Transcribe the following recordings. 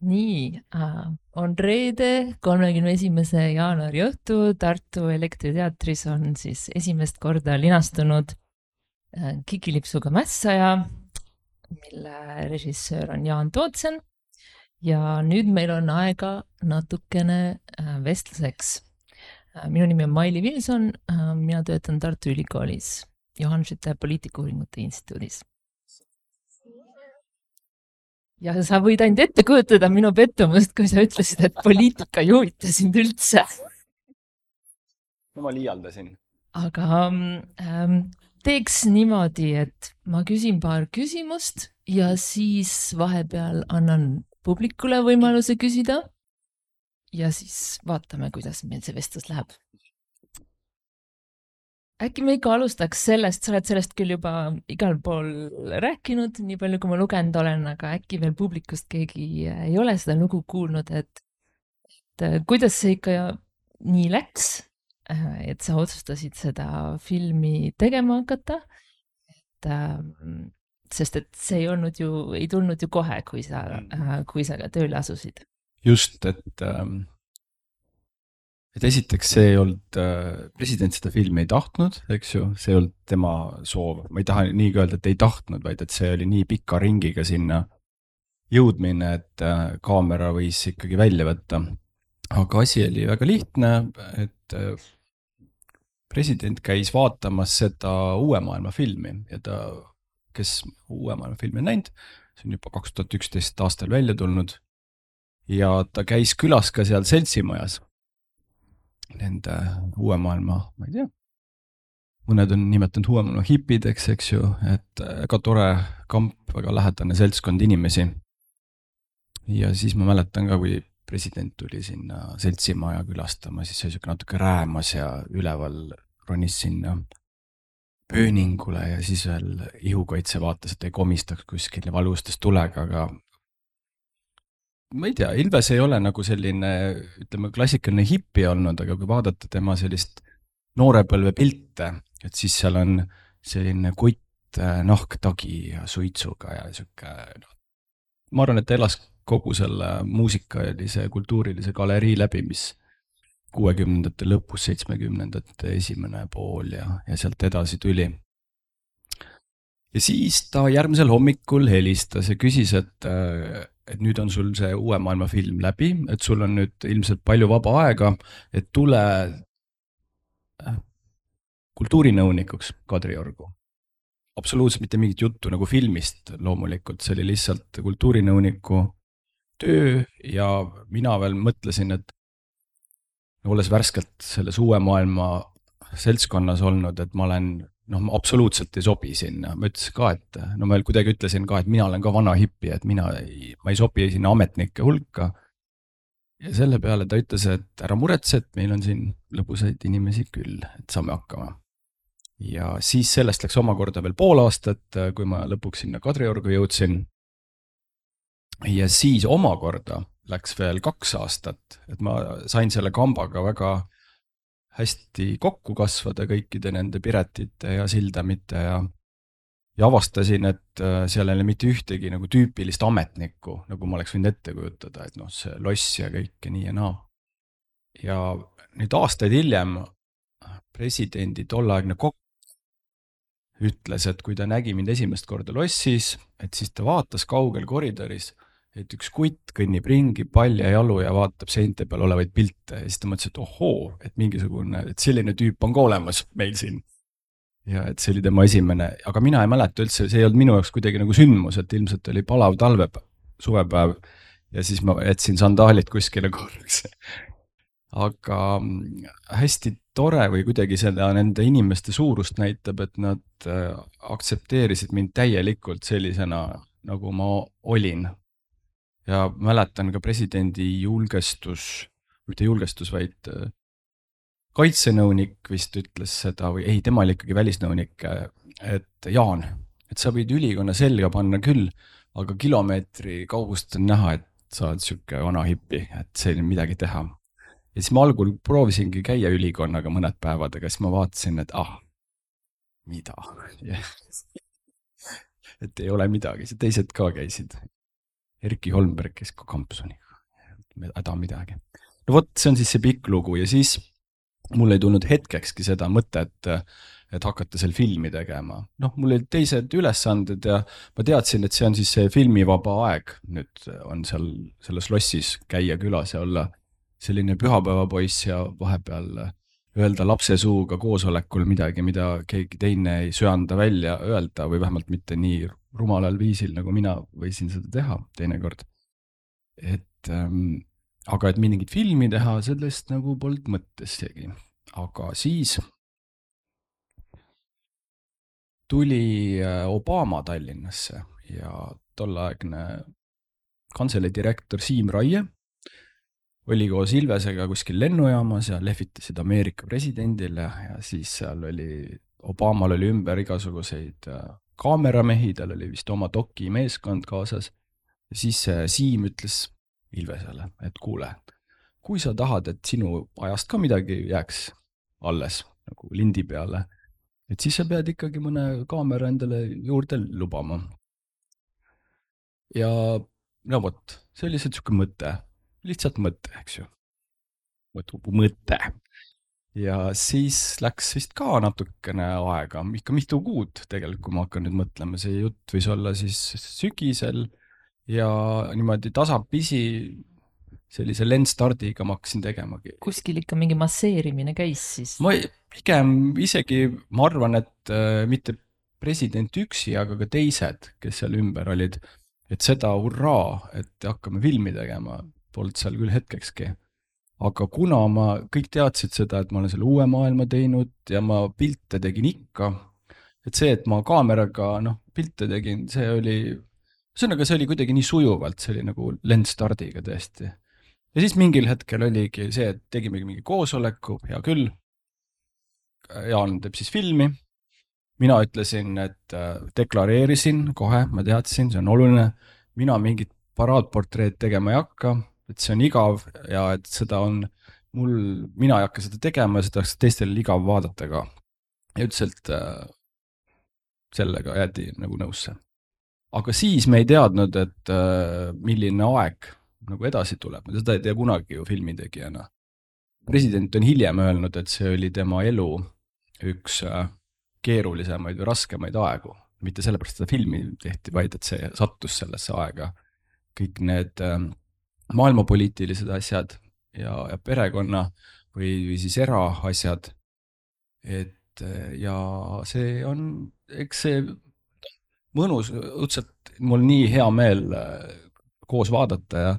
Nii, on reede, 31. jaanuari õhtu. Tartu Elektriteatris on siis esimest korda linastunud Kikilipsuga mässaja, mille režissöör on Jaan Tootsen. Ja nüüd meil on aega natukene vestluseks. Minu nimi on Maili Vilson, mina töötan Tartu Ülikoolis Johan Skytte poliitikauuringute instituudis. Ja sa võid ainult ette kujutada minu pettumust, kui sa ütlesid, et poliitika ei huvita sind üldse. No ma liialdasin. Aga teeks niimoodi, et ma küsin paar küsimust ja siis vahepeal annan publikule võimaluse küsida. Ja siis vaatame, kuidas meil see vestlus läheb. Äkki me ikka alustaks sellest, sa oled sellest küll juba igal pool rääkinud, nii palju kui ma lugenud olen, aga äkki veel publikust keegi ei ole seda lugu kuulnud, et kuidas see ikka nii läks, et sa otsustasid seda filmi tegema hakata, sest et see ei tulnud ju kohe, kui sa ka tööle asusid. Just, et esiteks see ei olnud, president seda filmi ei tahtnud, eks ju, see ei olnud tema soov. Ma ei taha nii öelda, et ei tahtnud, vaid et see oli nii pika ringiga sinna jõudmine, et kaamera võis ikkagi välja võtta. Aga asi oli väga lihtne, et president käis vaatamas seda Uue maailma filmi ja ta, kes Uue maailma filmi on näinud, see on juba 2011 aastal välja tulnud ja ta käis külas ka seal seltsimajas. Nende Uue maailma, ma ei tea, mõned on nimetanud Uue maailma hipideks, eks ju, et väga tore kamp, väga lähedane seltskond inimesi. Ja siis ma mäletan ka, kui president tuli sinna seltsimaja külastama, siis see oli natuke räämas ja üleval ronis sinna pööningule ja siis veel ihukaitse vaatas, et ei komistaks kuskil ja valustas tulega, aga ma ei tea, Ilves ei ole nagu selline, ütleme, klassikaline hippi olnud, aga kui vaadata tema sellist noorepõlve pilte, et siis seal on selline kutt nahktagi ja suitsuga ja siuke, ma arvan, et ta elas kogu selle muusikalise, kultuurilise galerii läbi, mis 60ndate lõpus, 70ndate esimene pool ja sealt edasi tuli. Ja siis ta järgmisel hommikul helistas ja küsis, et nüüd on sul see Uue maailma film läbi, et sul on nüüd ilmselt palju vaba aega, et tule kultuurinõunikuks Kadriorgu. Absoluutselt mitte mingit juttu nagu filmist loomulikult, see oli lihtsalt kultuurinõuniku töö ja mina veel mõtlesin, et olles värskelt selles Uue maailma seltskonnas olnud, et ma olen absoluutselt ei sobi sinna. Ma ütlesin ka, et ma veel kuidagi ütlesin ka, et mina olen ka vana hippi, et ma ei sobi sinna ametnike hulka. Ja selle peale ta ütles, et ära muretse, et meil on siin lõbusaid inimesi küll, et saame hakkama. Ja siis sellest läks omakorda veel pool aastat, kui ma lõpuks sinna Kadriorgu jõudsin. Ja siis omakorda läks veel 2 aastat, et ma sain selle kambaga väga hästi kokku kasvada kõikide nende Piretite ja Sildamite ja avastasin, et seal ei ole mitte ühtegi nagu tüüpilist ametnikku, nagu ma oleks võinud ette kujutada, et see loss ja kõik ja nii ja naa. Ja nüüd aastaid hiljem presidendi tolleaegne kokk ütles, et kui ta nägi mind esimest korda lossis, et siis ta vaatas kaugel koridoris, et üks kutt kõnnib ringi palja jalu ja vaatab seinte peal olevaid pilte ja siis ta mõtles, et ohoo, et mingisugune, et selline tüüp on ka olemas meil siin. Ja et see oli tema esimene, aga mina ei mäleta üldse, see ei olnud minu jaoks kuidagi nagu sündmus, et ilmselt oli palav suvepäev ja siis ma jätsin sandaalid kuskile korraks. Aga hästi tore või kuidagi seda nende inimeste suurust näitab, et nad aktsepteerisid mind täielikult sellisena, nagu ma olin. Ja mäletan ka presidendi mitte julgestus, vaid kaitsenõunik vist ütles seda, või ei, tema oli ikkagi välisnõunik, et Jaan, et sa võid ülikonna selga panna küll, aga kilomeetri kaugust on näha, et sa oled siuke vana hippi, et see ei ole midagi teha. Ja siis ma algul proovisingi käia ülikonnaga mõned päevad, aga siis ma vaatasin, et mida? Et ei ole midagi, teised ka käisid. Erki Holmberg käis ka kampsuniga, häda midagi. No vot, see on siis see pikk lugu ja siis mul ei tulnud hetkekski seda mõtet, et hakata seal filmi tegema. Noh, mul olid teised ülesanded ja ma teadsin, et see on siis see filmivaba aeg. Nüüd on seal selles lossis käia külas ja olla selline pühapäevapoiss ja vahepeal öelda lapse suuga koosolekul midagi, mida keegi teine ei söanda välja öelda või vähemalt mitte nii rumalal viisil, nagu mina võisin seda teha teinekord. Aga et mingit filmi teha, sellest nagu polnud mõttessegi. Aga siis tuli Obama Tallinnasse ja tolleaegne kantselei direktor Siim Raie oli koos Ilvesega kuskil lennujaamas ja lehvitasid Ameerika presidendile ja siis seal oli, Obamal oli ümber igasuguseid kaameramehi, tal oli vist oma dokimeeskond kaasas ja siis Siim ütles Ilvesele, et kuule, kui sa tahad, et sinu ajast ka midagi jääks alles nagu lindi peale, et siis sa pead ikkagi mõne kaamera endale juurde lubama. Ja no vot, see oli siuke mõte, lihtsalt mõte, eks ju. Mõte. Ja siis läks vist ka natukene aega, ikka mitu kuud tegelikult, kui ma hakkan nüüd mõtlema, see jutt võis olla siis sügisel ja niimoodi tasapisi sellise lendstardiga ma hakkasin tegemagi. Kuskil ikka mingi masseerimine käis siis? Ma pigem isegi, ma arvan, et mitte president üksi, aga ka teised, kes seal ümber olid, et seda hurraa, et hakkame filmi tegema, polnud seal küll hetkekski. Aga kuna ma kõik teadsid seda, et ma olen selle uue maailma teinud ja ma pilte tegin ikka, et see, et ma kaameraga pilte tegin, see oli kuidagi nii sujuvalt, see oli nagu lendstardiga tõesti. Ja siis mingil hetkel oligi see, et tegime mingi koosoleku, hea küll, Jaan teeb siis filmi, mina ütlesin, et deklareerisin kohe, ma teadsin, see on oluline, mina mingit paraadportreed tegema ei hakka, et see on igav ja et seda on mina ei hakka seda tegema ja seda oleks teistel igav vaadata ka. Ja üldiselt sellega jäädi nagu nõusse. Aga siis me ei teadnud, et milline aeg nagu edasi tuleb, seda ei tea kunagi ju filmitegijana. President on hiljem öelnud, et see oli tema elu üks keerulisemaid või raskemaid aegu. Mitte sellepärast seda filmi tehti, vaid et see sattus sellesse aega. Kõik need maailmapoliitilised asjad ja perekonna või siis eraasjad. Ja see on, eks see mõnus, õudselt mul nii hea meel koos vaadata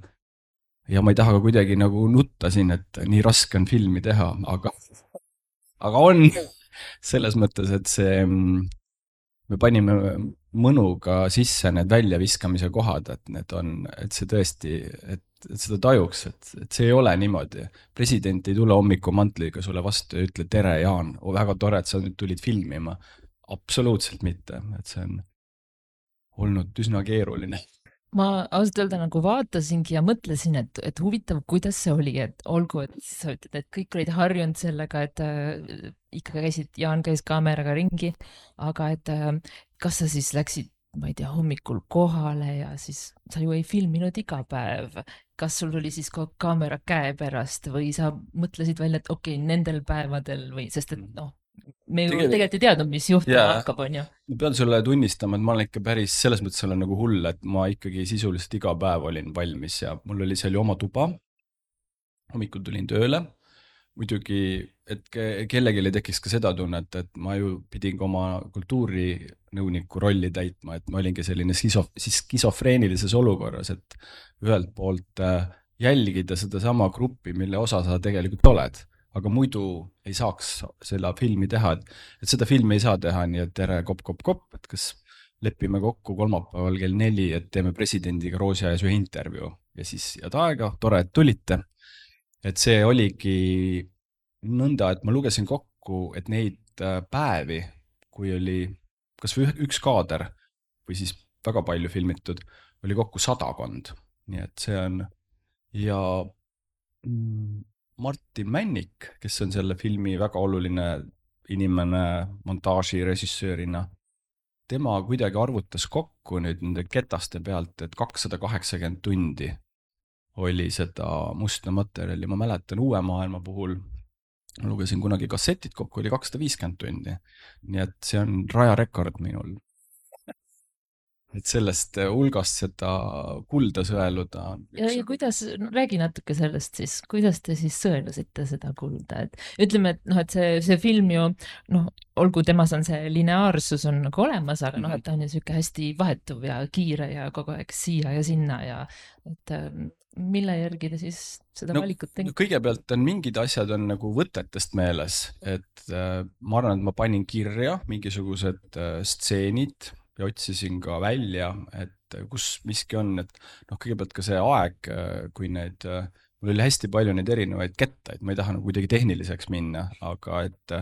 ja ma ei taha ka kuidagi nagu nutta siin, et nii raske on filmi teha, aga on selles mõttes, et me panime mõnuga sisse need väljaviskamise kohad, et see tõesti, et seda tajuks, et see ei ole niimoodi. President ei tule hommikumantliga sulle vastu ja ütle, tere Jaan, väga tore, et sa nüüd tulid filmima. Absoluutselt mitte, et see on olnud üsna keeruline. Ma ausalt öelda nagu vaatasingi ja mõtlesin, et huvitav, kuidas see oli, et olgu, et sa ütled, et kõik olid harjunud sellega, et ikka Jaan käis kaameraga ringi, aga et kas sa siis läksid, ma ei tea, hommikul kohale ja siis sa ju ei filminud iga päev. Kas sul oli siis kaamera käe pärast või sa mõtlesid välja, et okei, nendel päevadel või, sest et me ju tegelikult ei teadnud, mis juhtuma hakkab, on ju. Ma pean sulle tunnistama, et ma olen ikka päris, selles mõttes olen nagu hull, et ma ikkagi sisuliselt iga päev olin valmis ja mul oli seal ju oma tuba. Hommikul tulin tööle. Muidugi, et kellelegi tekiks ka seda tunnet, et ma ju pidin ka oma kultuurinõuniku rolli täitma, et ma olingi selline skisofreenilises olukorras, et ühelt poolt jälgida seda sama gruppi, mille osa sa tegelikult oled. Aga muidu ei saaks selle filmi teha, et seda filmi ei saa teha nii, et tere kopp, et kas lepime kokku kolmapäeval kell 4, et teeme presidendiga Roosi ajas ühe intervjuu ja siis head aega, tore, et tulite. Et see oligi nõnda, et ma lugesin kokku, et neid päevi, kui oli kas või üks kaader või siis väga palju filmitud, oli kokku 100. Nii et see on ja Martin Männik, kes on selle filmi väga oluline inimene montaaži režissöörina, tema kuidagi arvutas kokku nüüd nende ketaste pealt, et 280 tundi oli seda musta materjali. Ma mäletan Uue maailma puhul, ma lugesin kunagi kassetid kokku, oli 250 tundi. Nii et see on rajarekord minul. Et sellest hulgast seda kulda sõeluda. Ja kuidas, no, räägi natuke sellest siis, kuidas te siis sõelusite seda kulda, et ütleme, et noh, et see film ju, noh, olgu temas on see lineaarsus on nagu olemas, aga noh, et ta on ju siuke hästi vahetuv ja kiire ja kogu aeg siia ja sinna ja et mille järgi te siis seda valikut tegite? Kõigepealt on mingid asjad on nagu võtetest meeles, et ma arvan, et ma panin kirja mingisugused stseenid ja otsisin ka välja, et kus miski on, et noh, kõigepealt ka see aeg, kui mul oli hästi palju neid erinevaid kettaid, ma ei taha nagu kuidagi tehniliseks minna, aga et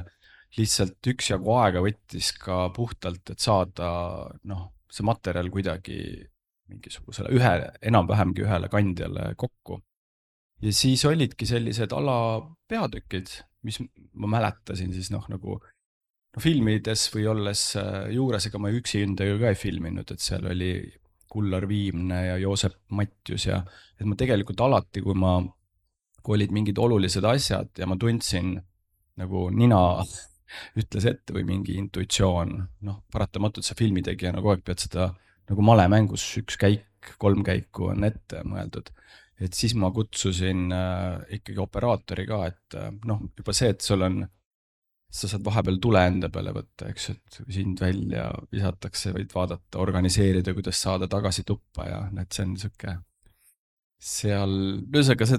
lihtsalt üksjagu aega võttis ka puhtalt, et saada noh, see materjal kuidagi mingisugusele enam-vähemgi ühele kandjale kokku. Ja siis olidki sellised alapeatükid, mis ma mäletasin siis noh, nagu filmides või olles juures, ega ma üksi endaga ka ei filminud, et seal oli Kullar Viimne ja Joosep Matjus ja et ma tegelikult alati, kui olid mingid olulised asjad ja ma tundsin nagu nina ütles ette või mingi intuitsioon, noh, paratamatult sa filmitegijana kogu aeg pead seda nagu malemängus 1 käik, 3 käiku on ette mõeldud. Et siis ma kutsusin ikkagi operaatori ka, et noh, juba see, et sa saad vahepeal tule enda peale võtta, eks, et sind välja visatakse, võid vaadata, organiseerida, kuidas saada tagasi tuppa ja see on niisugune seal, ühesõnaga see,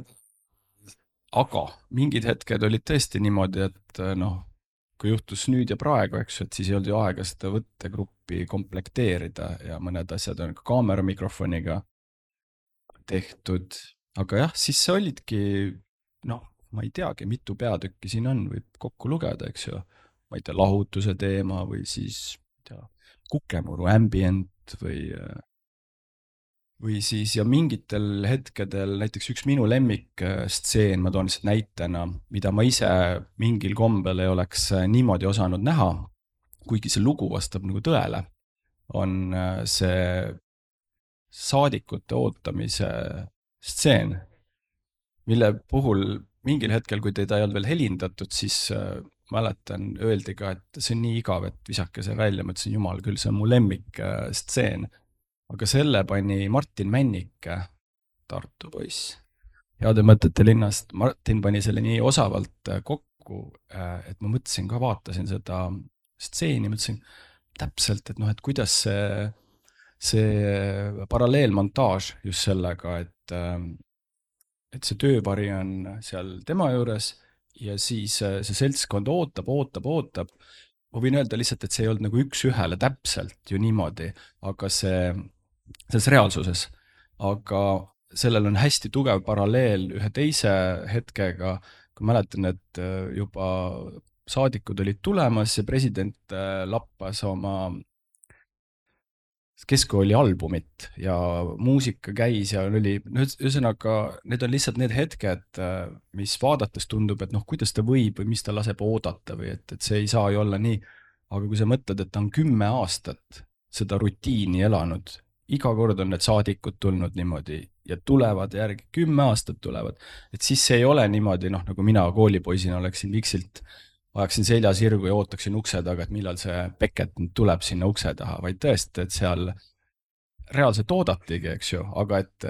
aga mingid hetked olid tõesti niimoodi, et noh, kui juhtus nüüd ja praegu, eks, et siis ei olnud ju aega seda võttegruppi komplekteerida ja mõned asjad on ka kaamera mikrofoniga tehtud, aga jah, siis see olidki, noh, ma ei teagi, mitu peatükki siin on, võib kokku lugeda, eks ju, ma ei tea, lahutuse teema või siis Kukemuru ambient või siis ja mingitel hetkedel, näiteks üks minu lemmikstseen, ma toon lihtsalt näitena, mida ma ise mingil kombel ei oleks niimoodi osanud näha, kuigi see lugu vastab nagu tõele, on see saadikute ootamise stseen, mille puhul mingil hetkel, kui teda ei olnud veel helindatud, siis mäletan, öeldi ka, et see on nii igav, et visake see välja, ma ütlesin, jumal küll, see on mu lemmik stseen. Aga selle pani Martin Männike, Tartu poiss, Heade mõtete linnast. Martin pani selle nii osavalt kokku, et ma mõtlesin ka, vaatasin seda stseeni, mõtlesin täpselt, et noh, et kuidas see paralleelmontaaž just sellega, et see tööpari on seal tema juures ja siis see seltskond ootab. Ma võin öelda lihtsalt, et see ei olnud nagu üks-ühele täpselt ju niimoodi, aga selles reaalsuses. Aga sellel on hästi tugev paralleel ühe teise hetkega, kui mäletan, et juba saadikud olid tulemas ja president lappas oma keskkooli albumit ja muusika käis ja oli, ühesõnaga, need on lihtsalt need hetked, mis vaadates tundub, et noh, kuidas ta võib või mis ta laseb oodata või et see ei saa ju olla nii, aga kui sa mõtled, et ta on 10 aastat seda rutiini elanud, iga kord on need saadikud tulnud niimoodi ja tulevad järgi, 10 aastat tulevad, et siis see ei ole niimoodi, noh, nagu mina koolipoisina oleksin viksilt ajaksin selja sirgu ja ootaksin ukse taga, et millal see Beckett tuleb sinna ukse taha, vaid tõesti, et seal reaalselt oodatigi, eks ju, aga et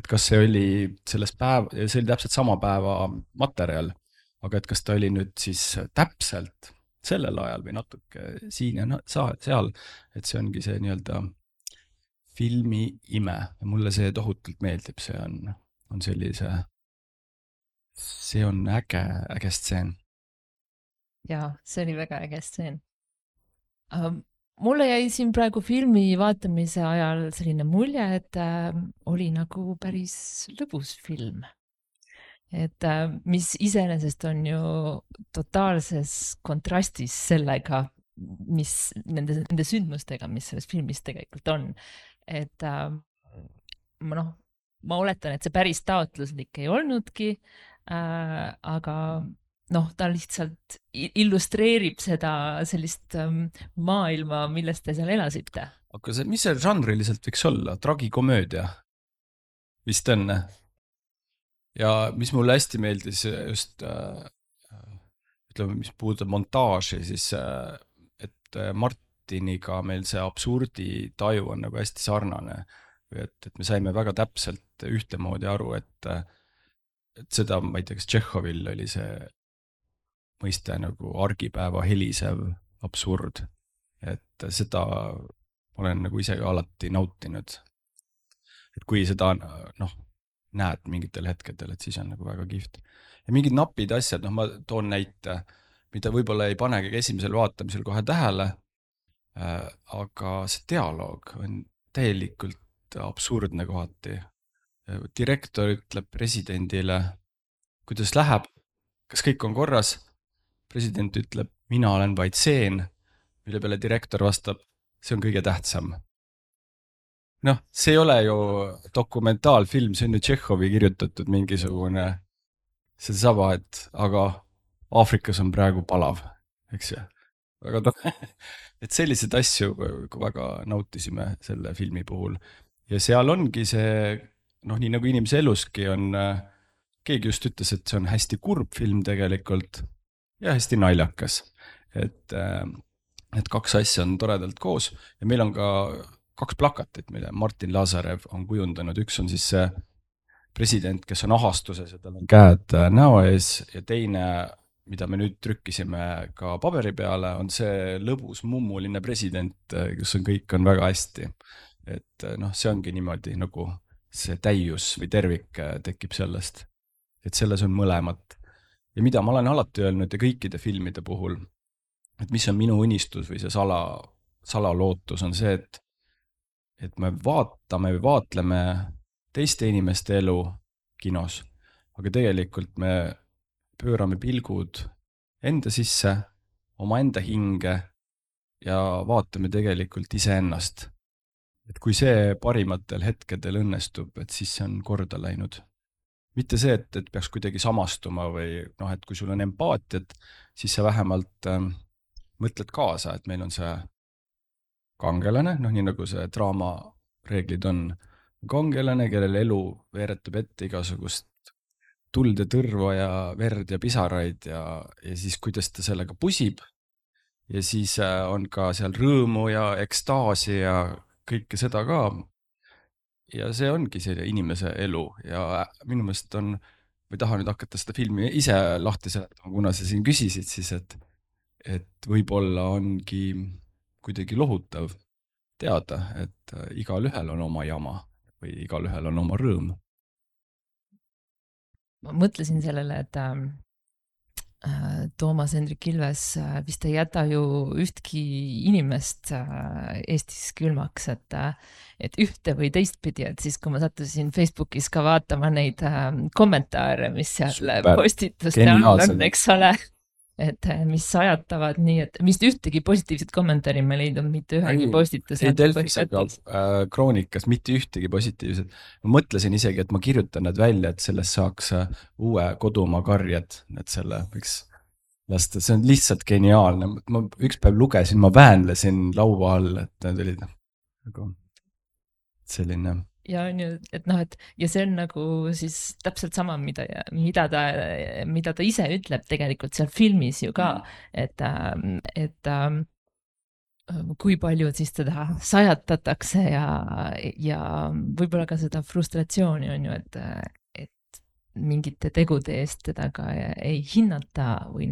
kas see oli selles see oli täpselt sama päeva materjal, aga et kas ta oli nüüd siis täpselt sellel ajal või natuke siin ja seal, et see ongi see nii-öelda filmi ime ja mulle see tohutult meeldib, see on sellise, see on äge stseen. Jaa, see oli väga äge stseen. Mulle jäi siin praegu filmi vaatamise ajal selline mulje, et oli nagu päris lõbus film. Et mis iseenesest on ju totaalses kontrastis sellega, mis nende sündmustega, mis selles filmis tegelikult on. Et ma oletan, et see päris taotluslik ei olnudki, aga noh, ta lihtsalt illustreerib seda sellist maailma, milles te seal elasite. aga see, mis see žanriliselt võiks olla? Tragikomöödia vist on. ja mis mulle hästi meeldis just ütleme, mis puudutab montaaži, siis et Martiniga meil see absurdi taju on nagu hästi sarnane. Et me saime väga täpselt ühtemoodi aru, et seda, ma ei tea, kas Tšehhovil oli see mõiste nagu argipäeva helisev absurd. Et seda olen nagu ise ka alati nautinud. Et kui seda näed mingitel hetkedel, et siis on nagu väga kihvt. Ja mingid napid asjad, ma toon näite, mida võib-olla ei panegi esimesel vaatamisel kohe tähele, aga see dialoog on täielikult absurdne kohati. Direktor ütleb presidendile, kuidas läheb, kas kõik on korras. President ütleb, mina olen vaid seen, mille peale direktor vastab, see on kõige tähtsam. See ei ole ju dokumentaalfilm, see on ju Tšehhovi kirjutatud mingisugune see saba, et aga Aafrikas on praegu palav, eks ju. Et sellised asju väga nautisime selle filmi puhul. Ja seal ongi see, nii nagu inimese eluski on, keegi just ütles, et see on hästi kurb film tegelikult ja hästi naljakas. Et kaks asja on toredalt koos ja meil on ka 2 plakatit, mille Martin Lazarev on kujundanud. Üks on siis see president, kes on ahastuses ja tal on käed näo ees ja teine, mida me nüüd trükkisime ka paberi peale, on see lõbus mummuline president, kus kõik on väga hästi. Et see ongi niimoodi, nagu see täius või tervik tekib sellest. Et selles on mõlemat. Ja mida ma olen alati öelnud ja kõikide filmide puhul, et mis on minu unistus või see salalootus on see, et me vaatame või vaatleme teiste inimeste elu kinos, aga tegelikult me pöörame pilgud enda sisse, oma enda hinge ja vaatame tegelikult iseennast. Et kui see parimatel hetkedel õnnestub, et siis see on korda läinud. Mitte see, et peaks kuidagi samastuma või et kui sul on empaatiat, siis sa vähemalt mõtled kaasa, et meil on see kangelane, nii nagu see draama reeglid on. Kangelane, kellel elu veeretab ette igasugust tuld ja tõrva ja verd ja pisaraid ja siis kuidas ta sellega pusib. Ja siis on ka seal rõõmu ja ekstaasi ja kõike seda ka. Ja see ongi see inimese elu ja minu meelest on, või tahan nüüd hakata seda filmi ise lahti seletama, kuna sa siin küsisid siis, et võib-olla ongi kuidagi lohutav teada, et igal ühel on oma jama või igal ühel on oma rõõm. Ma mõtlesin sellele, et Toomas Hendrik Ilves vist ei jäta ju ühtki inimest Eestis külmaks, et ühte või teistpidi, et siis kui ma sattusin Facebookis ka vaatama neid kommentaare, mis seal postituste on, eks ole, et mis ajatavad nii, et mis ühtegi positiivset kommentaari ma leidnud, mitte ühegi postituse. Ei Delfis ega Kroonikas, mitte ühtegi positiivset. Ma mõtlesin isegi, et ma kirjutan need välja, et sellest saaks uue kodumaa karjad, et selle võiks lasta. See on lihtsalt geniaalne. Ma üks päev lugesin, ma väänlesin laua all, et need olid selline... Ja on ju, et ja see on nagu siis täpselt sama, mida ta ise ütleb tegelikult seal filmis ju ka, et kui palju siis teda sajatatakse ja võib-olla ka seda frustratsiooni on ju, et mingite tegude eest teda ka ei hinnata või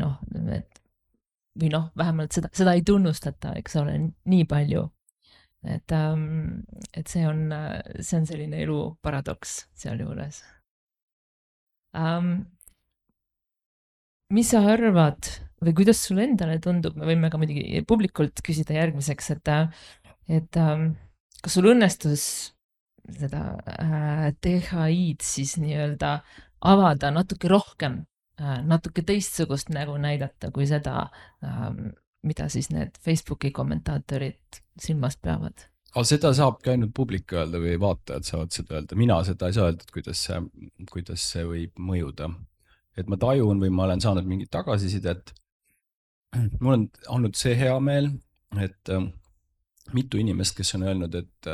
vähemalt seda ei tunnustata, eks ole, nii palju. Et see on selline elu paradoks seal juures. Mis sa arvad või kuidas sulle endale tundub, me võime ka muidugi publikult küsida järgmiseks, et kas sul õnnestus seda THI-d siis nii-öelda avada natuke rohkem, natuke teistsugust nägu näidata kui seda, mida siis need Facebooki kommentaatorid silmast peavad? Seda saabki ainult publik öelda või vaatajad saavad seda öelda. Mina seda ei saa öelda, kuidas see võib mõjuda. et ma tajun või ma olen saanud mingit tagasisidet. mul on olnud see hea meel, et mitu inimest, kes on öelnud, et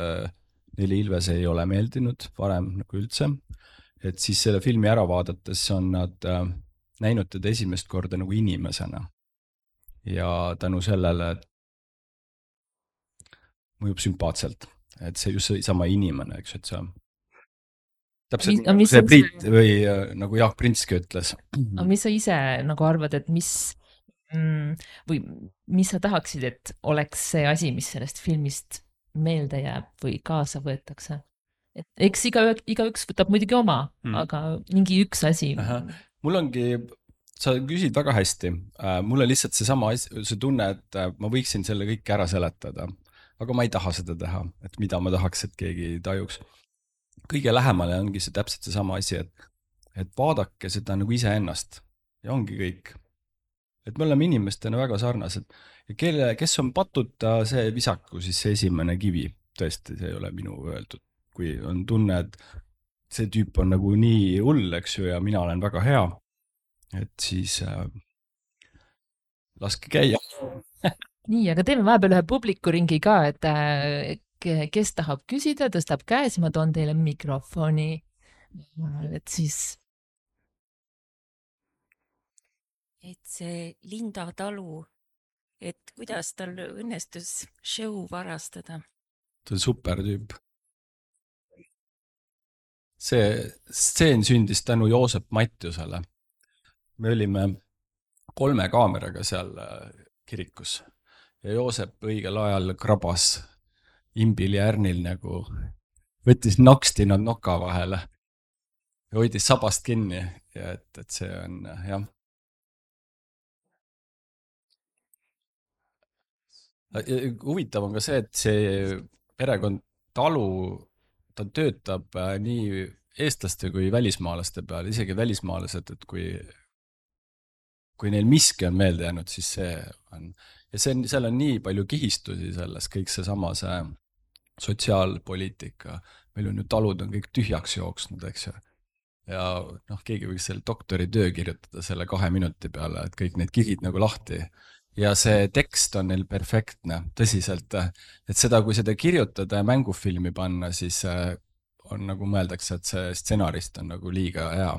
neile Ilves ei ole meeldinud varem nagu üldse, et siis selle filmi ära vaadates on nad näinud teda esimest korda nagu inimesena. Ja tänu sellele mõjub sümpaatselt, et see just sama inimene, eks, et see täpselt nii, nagu see Priit või nagu Jaak Prinski ütles. Aga mis sa ise nagu arvad, et või mis sa tahaksid, et oleks see asi, mis sellest filmist meelde jääb või kaasa võetakse? Et eks igaüks võtab muidugi oma, aga mingi üks asi. Mul ongi, sa küsid väga hästi. Mul on lihtsalt see tunne, et ma võiksin selle kõik ära seletada, aga ma ei taha seda teha, et mida ma tahaks, et keegi tajuks. Kõige lähemale ongi see täpselt see sama asi, et vaadake seda nagu iseennast ja ongi kõik. Et me oleme inimestena väga sarnased ja kes on patuta, see visaku siis see esimene kivi. Tõesti, see ei ole minu öeldud. Kui on tunne, et see tüüp on nagu nii hull, eks ju, ja mina olen väga hea, et siis laske käia. Nii, aga teeme vahepeal ühe publikuringi ka, et kes tahab küsida, tõstab käes, ma toon teile mikrofoni. Et siis... Et see Linda Talu, et kuidas tal õnnestus show varastada? Ta on super tüüp. See stseen sündis tänu Joosep Matjusele. Me olime 3 kaameraga seal kirikus ja Joosep õigel ajal krabas Imbil ja Ärnil nagu, võttis naksti nad noka vahele ja hoidis sabast kinni ja et see on, jah. Huvitav on ka see, et see perekond Talu, ta töötab nii eestlaste kui välismaalaste peale, isegi välismaalased, et kui neil miski on meelde jäänud, siis see on. Ja seal on nii palju kihistusi selles, kõik seesama see sotsiaalpoliitika. Meil on ju talud on kõik tühjaks jooksnud, eks ju. Ja keegi võiks selle doktoritöö kirjutada selle 2 minuti peale, et kõik need kihid nagu lahti. Ja see tekst on neil perfektne, tõsiselt, et seda, kui seda kirjutada ja mängufilmi panna, siis on nagu mõeldakse, et see stsenarist on nagu liiga hea.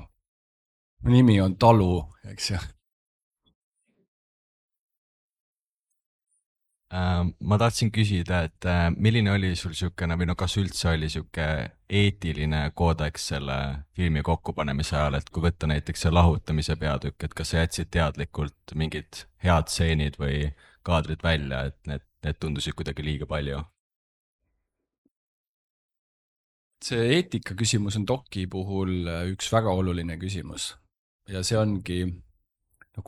Nimi on Talu, eks ju. Ma tahtsin küsida, et milline oli sul siukene, või kas üldse oli siuke eetiline koodeks selle filmi kokkupanemise ajal, et kui võtta näiteks see lahutamise peatükk, et kas sa jätsid teadlikult mingid head stseenid või kaadrid välja, et need tundusid kuidagi liiga palju? See eetika küsimus on doki puhul üks väga oluline küsimus ja see ongi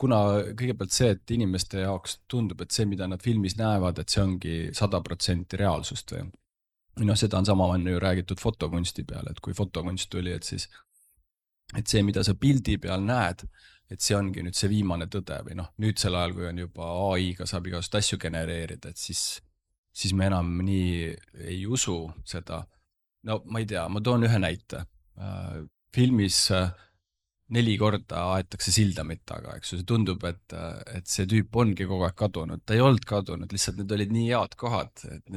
kuna kõigepealt see, et inimeste jaoks tundub, et see, mida nad filmis näevad, et see ongi 100% reaalsust või. Seda on sama ju räägitud fotokunsti peale, et kui fotokunst tuli, et see, mida sa pildi peal näed, et see ongi nüüd see viimane tõde või nüüd sel ajal, kui on juba AI-ga saab igast asju genereerida, et siis me enam nii ei usu seda. Ma ei tea, ma toon ühe näite. Filmis 4 korda aetakse sildamit taga, eks ju, see tundub, et see tüüp ongi kogu aeg kadunud, ta ei olnud kadunud, lihtsalt need olid nii head kohad, et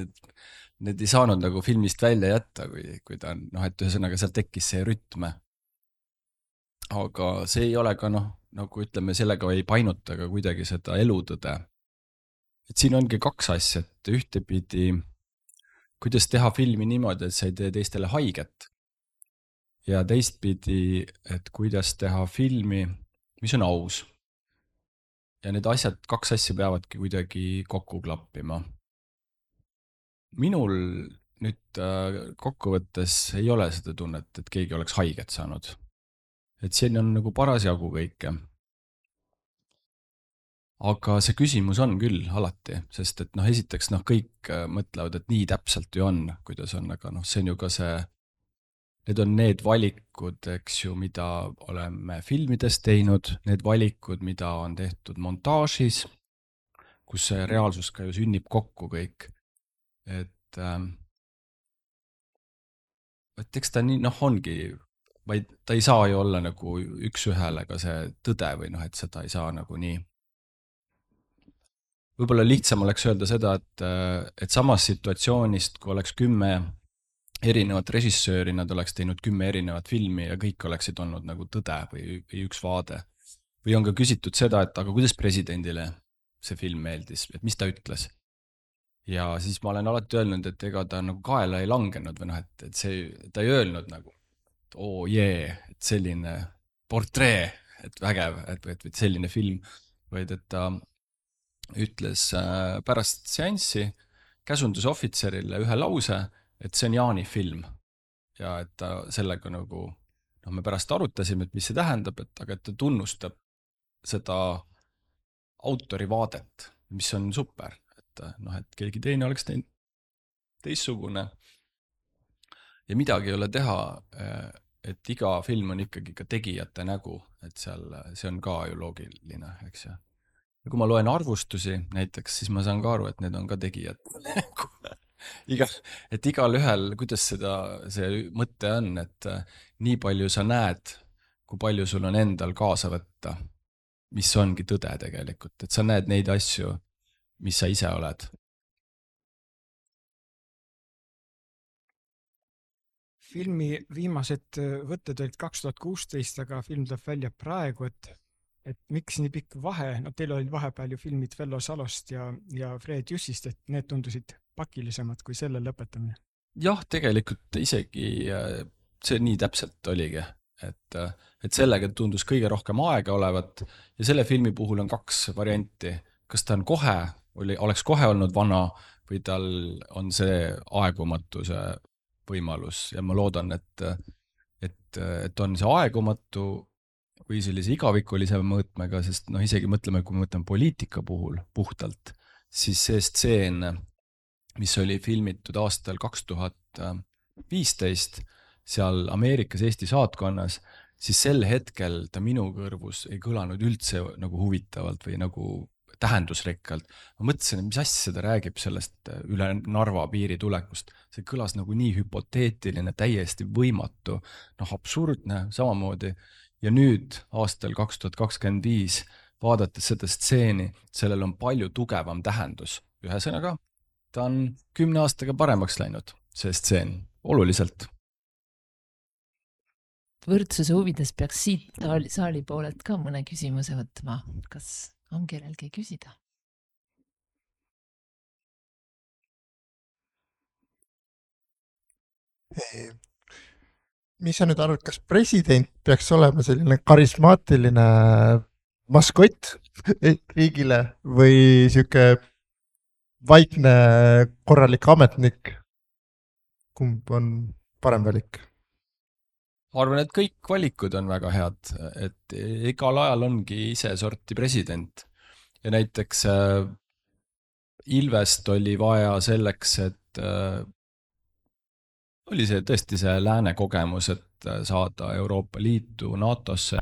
need ei saanud nagu filmist välja jätta, kui ta on, et ühesõnaga seal tekkis see rütme. Aga see ei ole ka nagu ütleme, sellega ei painuta ka kuidagi seda elutõde. Et siin ongi 2 asja, et ühtepidi, kuidas teha filmi niimoodi, et sa ei tee teistele haiget. Ja teistpidi, et kuidas teha filmi, mis on aus. Ja need 2 asja peavadki kuidagi kokku klappima. Minul nüüd kokkuvõttes ei ole seda tunnet, et keegi oleks haiget saanud. Et siin on nagu parasjagu kõike. Aga see küsimus on küll alati, sest et esiteks kõik mõtlevad, et nii täpselt ju on, kuidas on, aga see on ju ka see. Need on need valikud, eks ju, mida oleme filmides teinud, need valikud, mida on tehtud montaažis, kus see reaalsus ka ju sünnib kokku kõik. Et eks ta nii, ongi vaid ta ei saa ju olla nagu üks-ühele ka see tõde või noh, et seda ei saa nagu nii. Võib-olla lihtsam oleks öelda seda, et samast situatsioonist, kui oleks 10 erinevat režissööri, nad oleks teinud 10 erinevat filmi ja kõik oleksid olnud nagu tõde või üks vaade. Või on ka küsitud seda, et aga kuidas presidendile see film meeldis, et mis ta ütles. Ja siis ma olen alati öelnud, et ega ta nagu kaela ei langenud või noh, et ta ei öelnud nagu, et et selline portree, et vägev, et selline film, vaid et ta ütles pärast seanssi käsundusohvitserile ühe lause, et see on Jaani film ja et ta sellega nagu, me pärast arutasime, et mis see tähendab, aga et ta tunnustab seda autori vaadet, mis on super, et keegi teine oleks teinud teistsugune ja midagi ei ole teha, et iga film on ikkagi ka tegijate nägu, et seal see on ka ju loogiline, eks ju. Ja kui ma loen arvustusi näiteks, siis ma saan ka aru, et need on ka tegijad nägu. Et igal ühel, kuidas see mõte on, et nii palju sa näed, kui palju sul on endal kaasa võtta, mis ongi tõde tegelikult, et sa näed neid asju, mis sa ise oled. Filmi viimased võtted olid 2016, aga film tuleb välja praegu, et miks nii pikk vahe, teil olid vahepeal ju filmid Vello Salost ja Fred Jussist, et need tundusid pakilisemad kui selle lõpetamine. Jah, tegelikult isegi see nii täpselt oligi, et sellega tundus kõige rohkem aega olevat ja selle filmi puhul on 2 varianti. Kas ta on oleks kohe olnud vana või tal on see aegumatuse võimalus ja ma loodan, et on see aegumatu või sellise igavikulise mõõtmega, sest isegi mõtleme, kui me mõtleme poliitika puhul puhtalt, siis see stseen, mis oli filmitud aastal 2015 seal Ameerikas Eesti saatkonnas, siis sel hetkel ta minu kõrvus ei kõlanud üldse nagu huvitavalt või nagu tähendusrikkalt. Ma mõtlesin, et mis asja ta räägib sellest üle Narva piiri tulekust. See kõlas nagu nii hüpoteetiline, täiesti võimatu, absurdne samamoodi. Ja nüüd aastal 2025 vaadates seda stseeni, sellel on palju tugevam tähendus. Ühesõnaga, ta on 10 aastaga paremaks läinud, see stseen, oluliselt. Võrdsuse huvides peaks siit saali poolelt ka mõne küsimuse võtma. Kas on kellelgi küsida? Mis sa nüüd arvad, kas president peaks olema selline karismaatiline maskott riigile või siuke vaikne korralik ametnik? Kumb on parem valik? Ma arvan, et kõik valikud on väga head, et igal ajal ongi ise sorti president. Ja näiteks Ilvest oli vaja selleks, et oli see tõesti see lääne kogemus, et saada Euroopa Liitu, NATO-sse.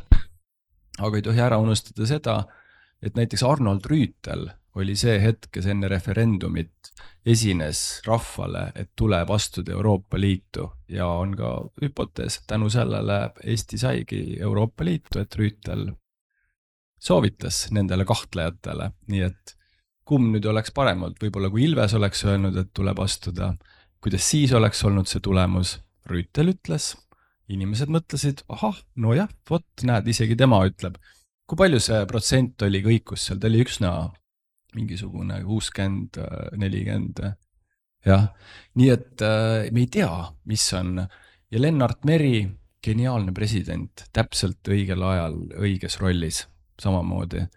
Aga ei tohi ära unustada seda, et näiteks Arnold Rüütel oli see hetk, kes enne referendumit esines rahvale, et tuleb astuda Euroopa Liitu ja on ka hüpotees, tänu sellele Eesti saigi Euroopa Liitu, et Rüütel soovitas nendele kahtlejatele, nii et kumb nüüd oleks parem olnud, võib-olla kui Ilves oleks öelnud, et tuleb astuda, kuidas siis oleks olnud see tulemus, Rüütel ütles, inimesed mõtlesid, ahah, no jah, vot näed, isegi tema ütleb, kui palju see protsent oli kõikus seal, ta oli üksna mingisugune 60, 40, jah. Nii et me ei tea, mis on. Ja Lennart Meri, geniaalne president, täpselt õigel ajal, õiges rollis, samamoodi.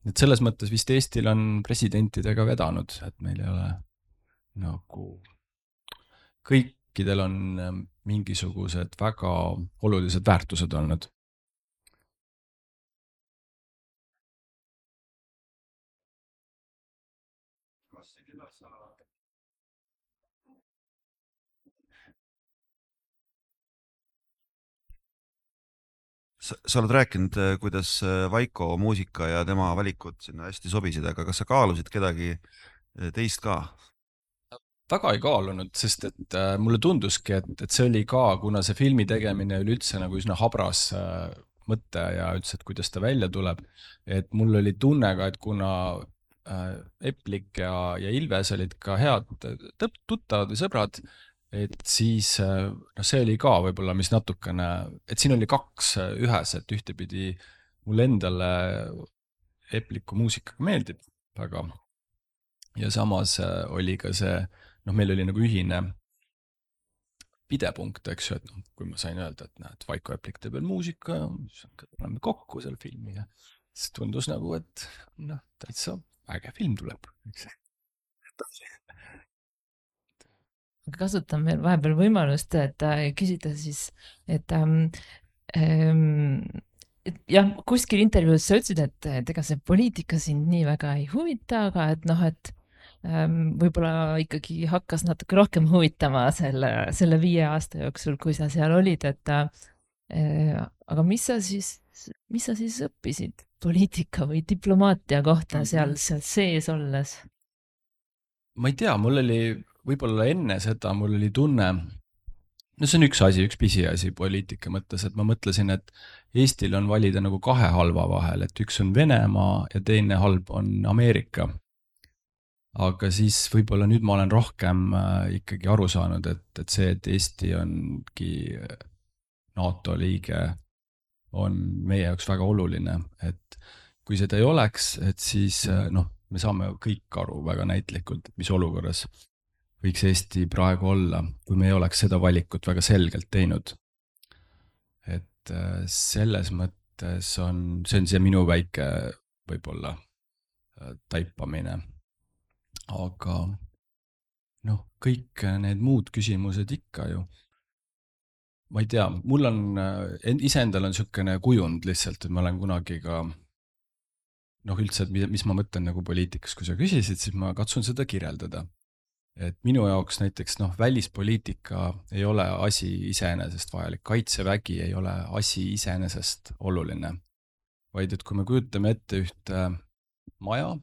Et selles mõttes vist Eestil on presidentidega vedanud, et meil ei ole nagu kõikidel on mingisugused väga olulised väärtused olnud. Sa oled rääkinud, kuidas Vaiko muusika ja tema valikud sinna hästi sobisid, aga kas sa kaalusid kedagi teist ka? väga ei kaalunud, sest et mulle tunduski, et see oli ka, kuna see filmi tegemine oli üldse nagu üsna habras mõte ja üldse, et kuidas ta välja tuleb, et mul oli tunne ka, et kuna Eplik ja Ilves olid ka head tuttavad või sõbrad, et siis see oli ka võib-olla, mis natukene, et siin oli kaks ühes, et ühtepidi mulle endale Epliku muusikaga meeldib väga ja samas oli ka see, meil oli nagu ühine pidepunkt, eks ju, et kui ma sain öelda, et näed, Vaiko Eplik teeb veel muusika ja tuleme kokku selle filmi ja siis tundus nagu, et täitsa äge film tuleb. Kasutan veel vahepeal võimalust, et küsida siis, et jah, kuskil intervjuus sa ütlesid, et ega see poliitika sind nii väga ei huvita, aga et võib-olla ikkagi hakkas natuke rohkem huvitama selle 5 aasta jooksul, kui sa seal olid, aga mis sa siis õppisid poliitika või diplomaatia kohta seal sees olles? Ma ei tea, mul oli võib-olla enne seda, mul oli tunne, see on üks asi, üks pisiasi poliitika mõttes, et ma mõtlesin, et Eestil on valida nagu 2 halva vahel, et üks on Venemaa ja teine halb on Ameerika. Aga siis võib-olla nüüd ma olen rohkem ikkagi aru saanud, et see, et Eesti ongi NATO liige, on meie jaoks väga oluline, et kui seda ei oleks, et siis me saame kõik aru väga näitlikult, et mis olukorras võiks Eesti praegu olla, kui me ei oleks seda valikut väga selgelt teinud. Et selles mõttes see on see minu väike võib-olla taipamine. Aga kõik need muud küsimused ikka ju. Ma ei tea, mul on, iseendal on niisugune kujund lihtsalt, et ma olen kunagi ka, üldse, et mis ma mõtlen nagu poliitikas, kui sa küsisid, siis ma katsun seda kirjeldada. Et minu jaoks näiteks välispoliitika ei ole asi iseenesest vajalik, kaitsevägi ei ole asi iseenesest oluline, vaid et kui me kujutame ette ühte maja,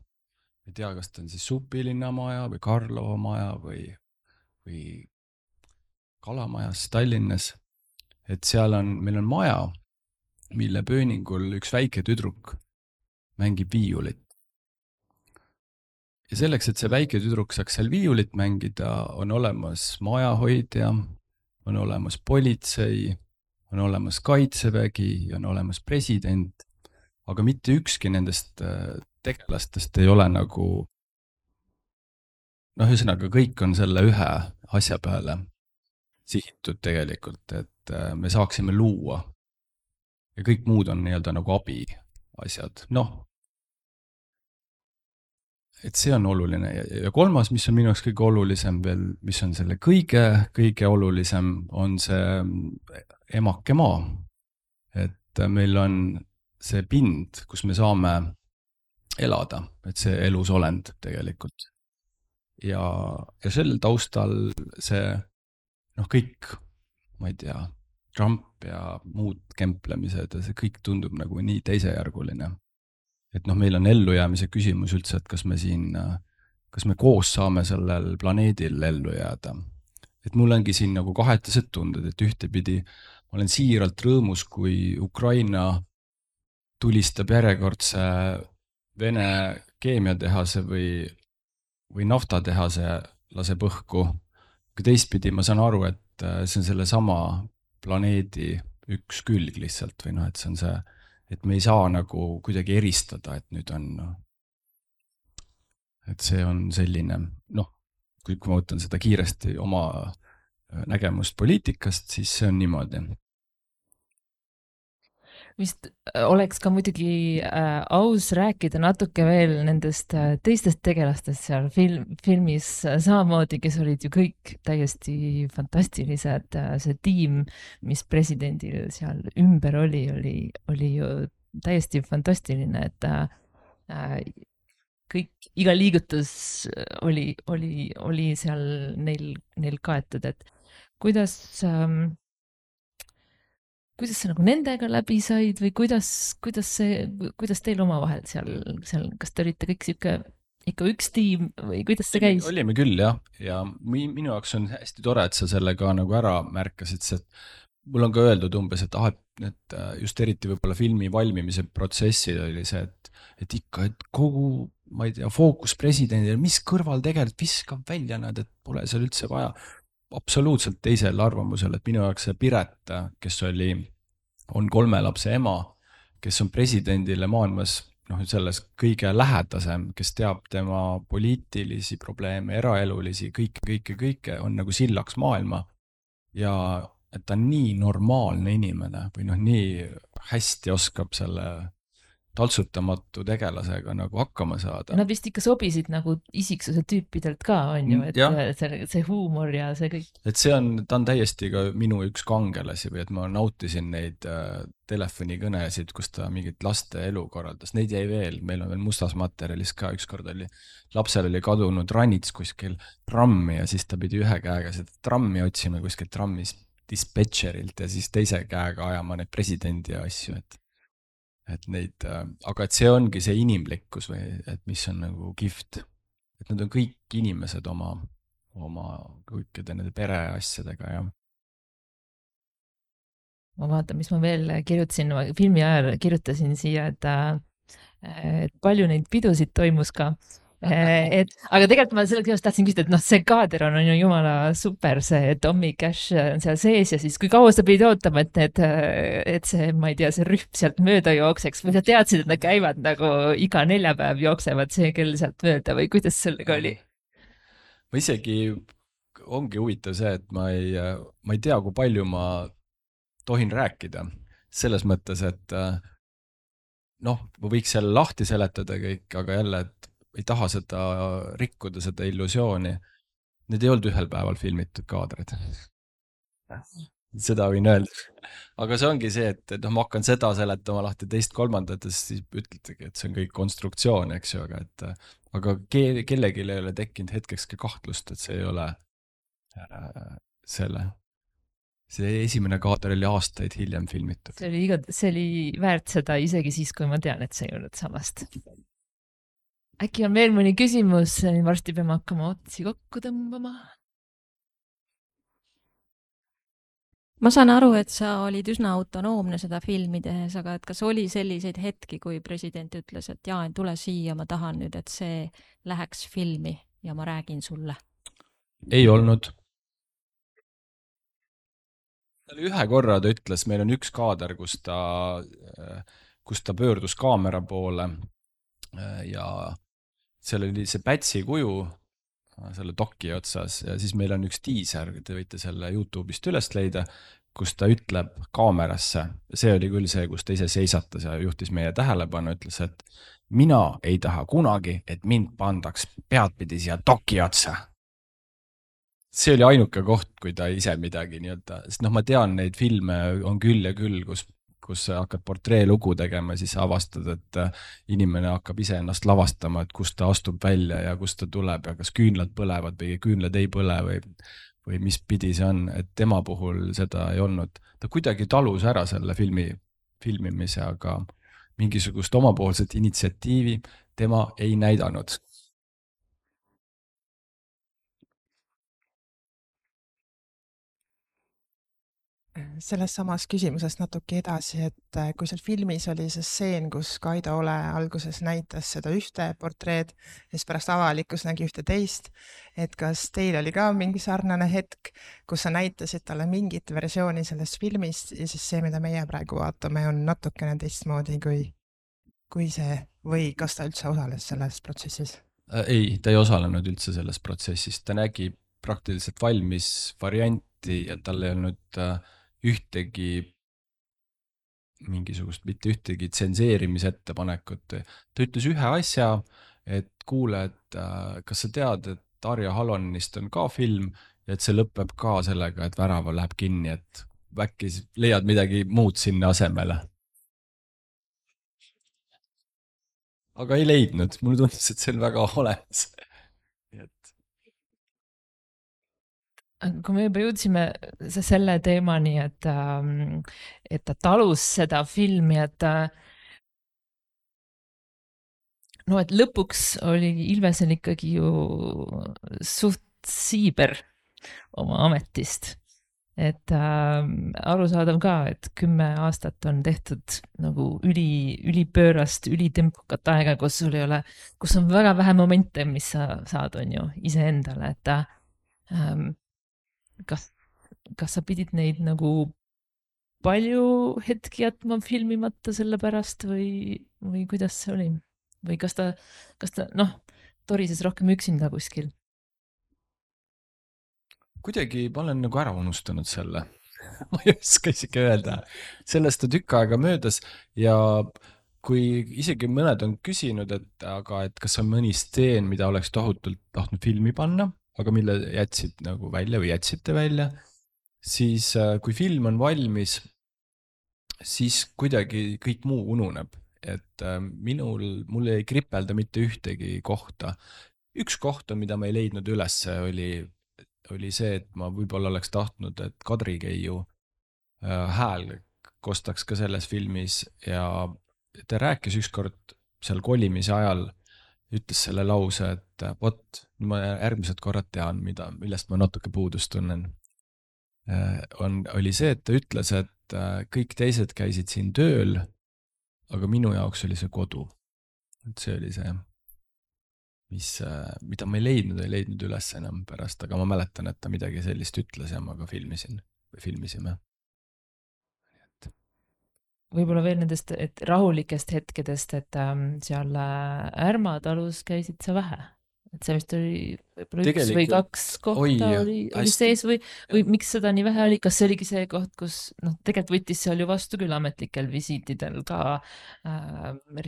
ei tea, kas ta on siis Supilinna maja või Karlova maja või Kalamajas Tallinnas, et meil on maja, mille pööningul üks väike tüdruk mängib viiulit. Ja selleks, et see väike tüdruk saaks seal viiulit mängida, on olemas majahoidja, on olemas politsei, on olemas kaitsevägi, on olemas president, aga mitte ükski nendest tegelastest ei ole nagu, ühesõnaga kõik on selle ühe asja peale sihitud tegelikult, et me saaksime luua ja kõik muud on nii-öelda nagu abi asjad. Et see on oluline ja kolmas, mis on minu jaoks kõige olulisem veel, mis on selle kõige olulisem, on see emake maa. Et meil on see pind, kus me saame elada, et see elusolend tegelikult. Ja sellel taustal see kõik, ma ei tea, Trump ja muud kemplemised ja see kõik tundub nagu nii teisejärguline. Et meil on ellujäämise küsimus üldse, et kas me koos saame sellel planeedil ellu jääda. Et mul ongi siin nagu kahetised tunded, et ühtepidi ma olen siiralt rõõmus, kui Ukraina tulistab järjekordse Vene keemiatehase või naftatehase laseb õhku. Kui teistpidi ma saan aru, et see on selle sama planeedi üks külg lihtsalt või et see on see, et me ei saa nagu kuidagi eristada, et nüüd on, et see on selline, kui ma võtan seda kiiresti oma nägemust poliitikast, siis see on niimoodi. Vist oleks ka muidugi aus rääkida natuke veel nendest teistest tegelastest seal filmis samamoodi, kes olid ju kõik täiesti fantastilised. See tiim, mis presidendil seal ümber oli ju täiesti fantastiline, et kõik, iga liigutus oli seal neil kaetud, et kuidas sa nagu nendega läbi said või kuidas teil omavahel seal, kas te olite kõik siuke ikka üks tiim või kuidas see käis? olime küll jah, ja minu jaoks on hästi tore, et sa selle ka nagu ära märkasid, sest mul on ka öeldud umbes, et just eriti võib-olla filmi valmimise protsessil oli see, et ikka, et kogu, ma ei tea, fookus presidendile, mis kõrval tegelikult viskab välja nad, et pole seal üldse vaja. Absoluutselt teisel arvamusel, et minu jaoks see Piret, kes on 3 lapse ema, kes on presidendile maailmas selles kõige lähedasem, kes teab tema poliitilisi probleeme, eraelulisi, kõike, on nagu sillaks maailma. Ja et ta on nii normaalne inimene või nii hästi oskab selle taltsutamatu tegelasega nagu hakkama saada. Nad vist ikka sobisid nagu isiksuse tüüpidelt ka, on ju, et see huumor ja see kõik. Et ta on täiesti ka minu üks kangelasi või et ma nautisin neid telefonikõnesid, kus ta mingit laste elu korraldas. Neid jäi veel, meil on veel mustas materjalis ka, ükskord lapsel oli kadunud ranits kuskil trammi ja siis ta pidi ühe käega seda trammi otsima kuskil trammis dispetšerilt ja siis teise käega ajama neid presidendi asju, et neid, aga et see ongi see inimlikkus või et mis on nagu kihvt, et nad on kõik inimesed oma kõikide nende pereasjadega ja. Ma vaatan, mis ma veel kirjutasin, filmi ajal kirjutasin siia, et palju neid pidusid toimus ka. Aga tegelikult ma selleks tahtsin küsida, et see kaader on ju jumala super, see Tommy Cash on seal sees ja siis kui kaua sa pidid ootama, et see, ma ei tea, see rühm sealt mööda jookseks või sa teadsid, et nad käivad nagu iga neljapäev jooksevad see kell sealt mööda või kuidas sellega oli? Ma isegi ongi huvitav see, et ma ei tea, kui palju ma tohin rääkida selles mõttes, et ma võiks selle lahti seletada kõik, aga jälle, et ei taha seda rikkuda, seda illusiooni. Need ei olnud ühel päeval filmitud kaadrid. Seda võin öelda. Aga see ongi see, et ma hakkan seda seletama lahti teist kolmandat ja siis ütletegi, et see on kõik konstruktsioon, eks ju, aga kellelgi ei ole tekkinud hetkekski kahtlust, et see ei ole see esimene kaader oli aastaid hiljem filmitud. See oli väärt seda isegi siis, kui ma tean, et see ei olnud samast. Äkki on veel mõni küsimus, varsti peame hakkama otsi kokku tõmbama. Ma saan aru, et sa olid üsna autonoomne seda filmi tehes, aga et kas oli selliseid hetki, kui president ütles, et Jaan, tule siia, ma tahan nüüd, et see läheks filmi ja ma räägin sulle? Ei olnud. Ühe korra ta ütles, meil on üks kaader, kus ta pöördus kaamera poole ja seal oli see Pätsi kuju selle doki otsas ja siis meil on üks tiiser, te võite selle YouTube'ist üles leida, kus ta ütleb kaamerasse. See oli küll see, kus ta ise seisatas ja juhtis meie tähelepanu, ütles, et mina ei taha kunagi, et mind pandaks peadpidi siia doki otsa. See oli ainuke koht, kui ta ise midagi nii-öelda, sest ma tean, neid filme on küll ja küll, kus sa hakkad portreelugu tegema ja siis avastad, et inimene hakkab ise ennast lavastama, et kust ta astub välja ja kust ta tuleb ja kas küünlad põlevad või küünlad ei põle või mis pidi see on, et tema puhul seda ei olnud. Ta kuidagi talus ära selle filmimise, aga mingisugust omapoolset initsiatiivi tema ei näidanud. Selles samas küsimusest natuke edasi, et kui seal filmis oli see stseen, kus Kaido Ole alguses näitas seda ühte portreed ja siis pärast avalikkus nägi ühte teist, et kas teil oli ka mingi sarnane hetk, kus sa näitasid talle mingit versiooni sellest filmist ja siis see, mida meie praegu vaatame, on natukene teistmoodi kui see või kas ta üldse osales selles protsessis? Ei, ta ei osalenud üldse selles protsessis, ta nägi praktiliselt valmis varianti ja tal ei olnud ühtegi mingisugust, mitte ühtegi tsenseerimisettepanekut. Ta ütles ühe asja, et kuule, et kas sa tead, et Arja Halonist on ka film ja et see lõpeb ka sellega, et värava läheb kinni, et äkki leiad midagi muud sinna asemele. Aga ei leidnud, mulle tundus, et see on väga olemas. Kui me juba jõudsime selle teemani, et ta talus seda filmi, et no et lõpuks oli Ilvesel ikkagi ju suht siiber oma ametist. Et arusaadav ka, et 10 aastat on tehtud nagu ülipöörast, ülitempokat aega, kus sul ei ole, kus on väga vähe momente, mis sa saad, on ju, iseendale, et kas sa pidid neid nagu palju hetki jätma filmimata selle pärast või kuidas see oli? Või kas ta torises rohkem üksinda kuskil? kuidagi ma olen nagu ära unustanud selle. ma ei oska isegi öelda. Sellest on tükk aega möödas ja kui isegi mõned on küsinud, et kas on mõni stseen, mida oleks tohutult tahtnud filmi panna, aga mille jätsid nagu välja või jätsite välja, siis kui film on valmis, siis kuidagi kõik muu ununeb. Et mul ei kripelda mitte ühtegi kohta. Üks koht on, mida ma ei leidnud ülesse, oli see, et ma võib-olla oleks tahtnud, et Kadri Keiu hääl kostaks ka selles filmis ja ta rääkis ükskord seal kolimise ajal, ütles selle lause, et vot, ma järgmised korrad tean, millest ma natuke puudust tunnen. Oli see, et ta ütles, et kõik teised käisid siin tööl, aga minu jaoks oli see kodu. Et see oli see, mida ma ei leidnud üles enam pärast, aga ma mäletan, et ta midagi sellist ütles ja ma ka filmisime. Võib-olla veel nendest rahulikest hetkedest, et seal Ärma talus käisid sa vähe. Et see vist oli võib-olla üks või kaks kohta oli sees või miks seda nii vähe oli? Kas see oligi see koht, kus tegelikult võttis seal ju vastu küll ametlikel visiitidel ka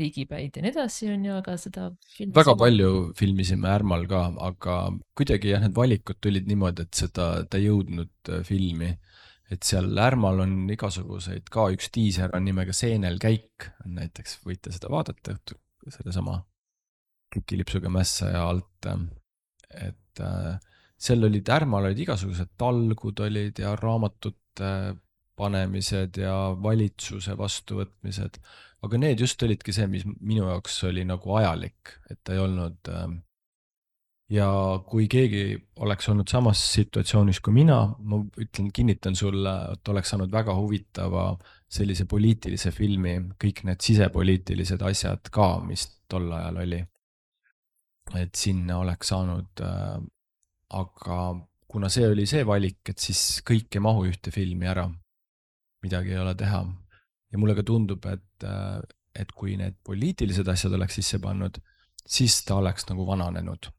riigipäid ja nii edasi on ju, aga seda väga palju filmisime Ärmal ka, aga kuidagi need valikud tulid niimoodi, et ta ei jõudnud filmi. Et seal Ärmal on igasuguseid, ka üks tiiser on nimega Seenel käik, näiteks võite seda vaadata, selle sama Kikilipsuga mässaja alt, et seal Ärmal olid igasugused talgud olid ja raamatute panemised ja valitsuse vastuvõtmised, aga need just olidki see, mis minu jaoks oli nagu ajalik, et ta ei olnud ja kui keegi oleks olnud samas situatsioonis kui mina, ma kinnitan sulle, et oleks saanud väga huvitava sellise poliitilise filmi, kõik need sisepoliitilised asjad ka, mis tol ajal oli. Et sinna oleks saanud, aga kuna see oli see valik, et siis kõik ei mahu ühte filmi ära, midagi ei ole teha. Ja mulle ka tundub, et kui need poliitilised asjad oleks sisse pannud, siis ta oleks nagu vananenud.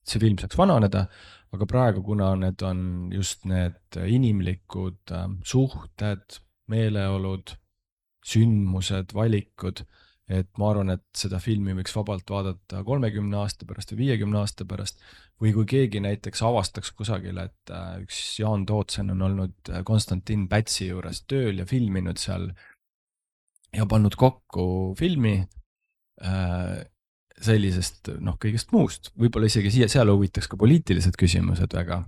See film saaks vananeda, aga praegu, kuna need on just need inimlikud suhted, meeleolud, sündmused, valikud, et ma arvan, et seda filmi võiks vabalt vaadata 30 aasta pärast või 50 aasta pärast, või kui keegi näiteks avastaks kusagil, et üks Jaan Tootsen on olnud Konstantin Pätsi juures tööl ja filminud seal ja pannud kokku filmi sellisest kõigest muust, võib-olla isegi seal huvitaks ka poliitilised küsimused väga,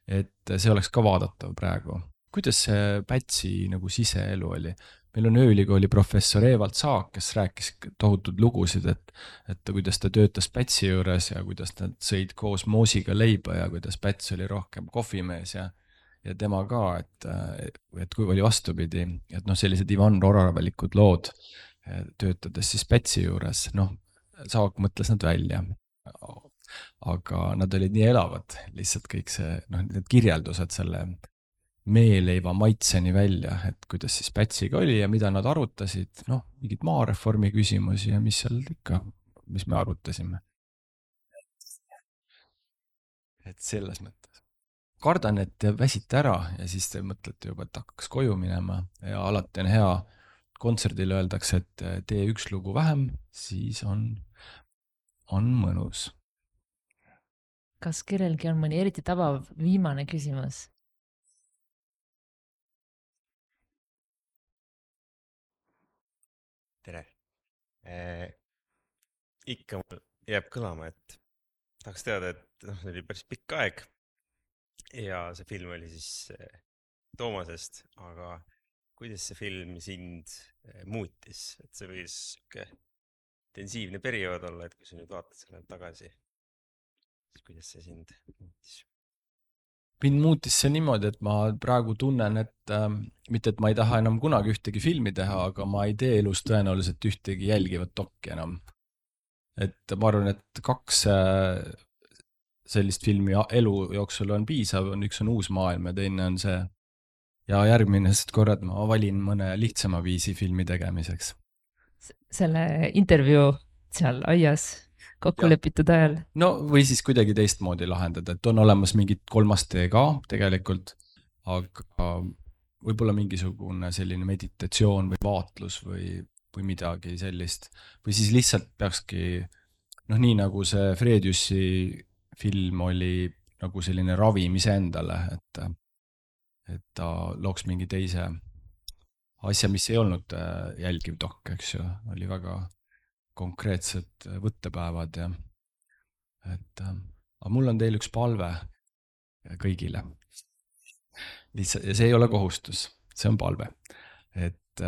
et see oleks ka vaadatav praegu. Kuidas see Pätsi nagu siseelu oli? Meil on Ööülikooli professor Evald Saak, kes rääkis tohutud lugusid, et kuidas ta töötas Pätsi juures ja kuidas nad sõid koos moosiga leiba ja kuidas Päts oli rohkem kohvimees ja tema ka, et kui oli vastupidi, et sellised Ivan Roravalikud lood töötades siis Pätsi juures, Saak mõtles nad välja, aga nad olid nii elavad, lihtsalt kõik see, need kirjeldused selle meeleiva maitseni välja, et kuidas siis Pätsiga oli ja mida nad arutasid, mingid maareformi küsimusi ja mis seal ikka, mis me arutasime. Et selles mõttes. Kardan, et te väsite ära ja siis te mõtlete juba, et hakkaks koju minema ja alati on hea, kontserdil öeldakse, et tee üks lugu vähem, siis on mõnus. Kas kellelgi on mõni eriti tabav viimane küsimus? Tere. Ikka mul jääb kõlama, et tahaks teada, et see oli päris pikk aeg ja see film oli siis Toomasest, aga kuidas see film sind muutis, et see võis intensiivne periood olla, et kui sa nüüd vaatad selle tagasi, siis kuidas see sind muutis? Mind muutis see niimoodi, et ma praegu tunnen, et mitte, et ma ei taha enam kunagi ühtegi filmi teha, aga ma ei tee elus tõenäoliselt ühtegi jälgivat dokki enam. Et ma arvan, et 2 sellist filmi elu jooksul on piisav, üks on Uus maailm ja teine on see. Ja järgmine korrad ma valin mõne lihtsama viisi filmi tegemiseks. Selle intervjuu seal aias kokku lepitud ajal. No või siis kuidagi teistmoodi lahendada, et on olemas mingid 3. tee ka tegelikult, aga võib-olla mingisugune selline meditatsioon või vaatlus või midagi sellist. Või siis lihtsalt peakski, nii nagu see Frediusi film oli nagu selline ravimise endale, et ta looks mingi teise asja, mis ei olnud jälgiv dokk, eks ju, oli väga konkreetsed võttepäevad ja aga mul on teil üks palve kõigile. Lihtsalt, ja see ei ole kohustus, see on palve. Et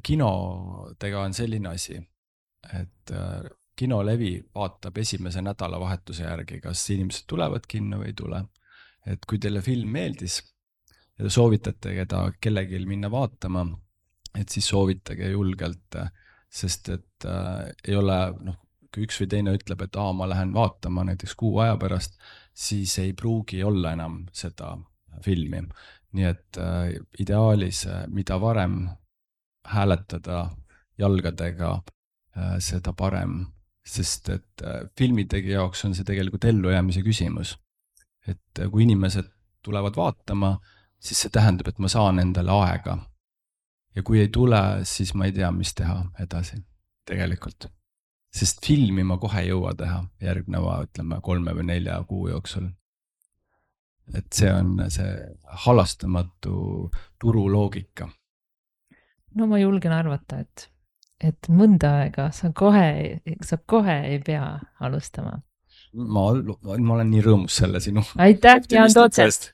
kinodega on selline asi, et kinolevi vaatab esimese nädalavahetuse järgi, kas inimesed tulevad kinno või ei tule. Et kui teile film meeldis ja te soovitate kellelgi minna vaatama, et siis soovitage julgelt, sest et ei ole, kui üks või teine ütleb, et ma lähen vaatama näiteks 6 aja pärast, siis ei pruugi olla enam seda filmi. Nii et ideaalis, mida varem hääletada jalgadega, seda parem, sest et filmitegi jaoks on see tegelikult ellujäämise küsimus. Et kui inimesed tulevad vaatama, siis see tähendab, et ma saan endale aega. Ja kui ei tule, siis ma ei tea, mis teha edasi tegelikult. Sest filmi ma kohe ei jõua teha järgneva, 3 või 4 kuu jooksul. Et see on see halastamatu turuloogika. No ma julgen arvata, et mõnda aega sa kohe ei pea alustama. Ma olen nii rõõmus selle sinu Aitäh, Jaan Tootsest!